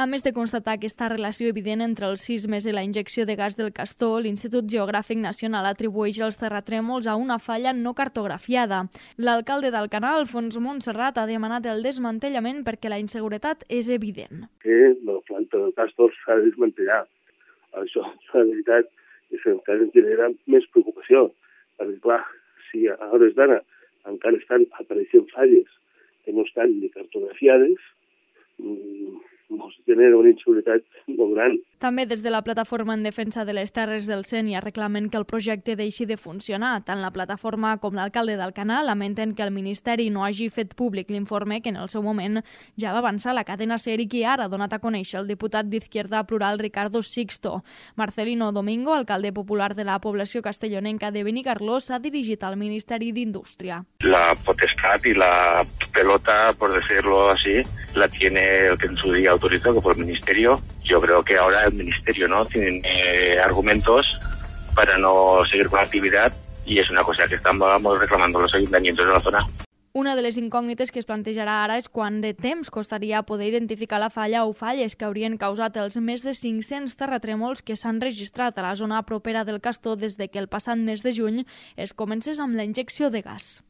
A més de constatar aquesta relació evident entre els sismes i la injecció de gas del Castor, l'Institut Geogràfic Nacional atribueix els terratrèmols a una falla no cartografiada. L'alcalde d'Alcanar, Alfons Montserrat, ha demanat el desmantellament perquè la inseguretat és evident. Que la planta del Castor s'ha de desmantellar. Això, la veritat, és que encara ens genera més preocupació. Perquè, clar, si a hores d'ara encara estan apareixent falles que no estan ni cartografiades, ens genera una inseguretat molt gran. També des de la Plataforma en Defensa de les Terres del Sénia reclamen que el projecte deixi de funcionar. Tant la plataforma com l'alcalde d'Alcanar lamenten que el Ministeri no hagi fet públic l'informe que en el seu moment ja va avançar la cadena SER i que ara ha donat a conèixer el diputat d'Izquierda Plural Ricardo Sixto. Marcelino Domingo, alcalde popular de la població castellonenca de Benicarló, s'ha dirigit al Ministeri d'Indústria. La potestad y la pelota, por decirlo así, la tiene el que en su día autorizó, que fue el Ministerio. Yo creo que ahora el Ministerio no tiene argumentos para no seguir con la actividad y es una cosa que estamos reclamando los ayuntamientos de la zona. Una de les incògnites que es plantejarà ara és quant de temps costaria poder identificar la falla o falles que haurien causat els més de 500 terratrèmols que s'han registrat a la zona propera del Castor des de que el passat mes de juny es comencés amb la injecció de gas.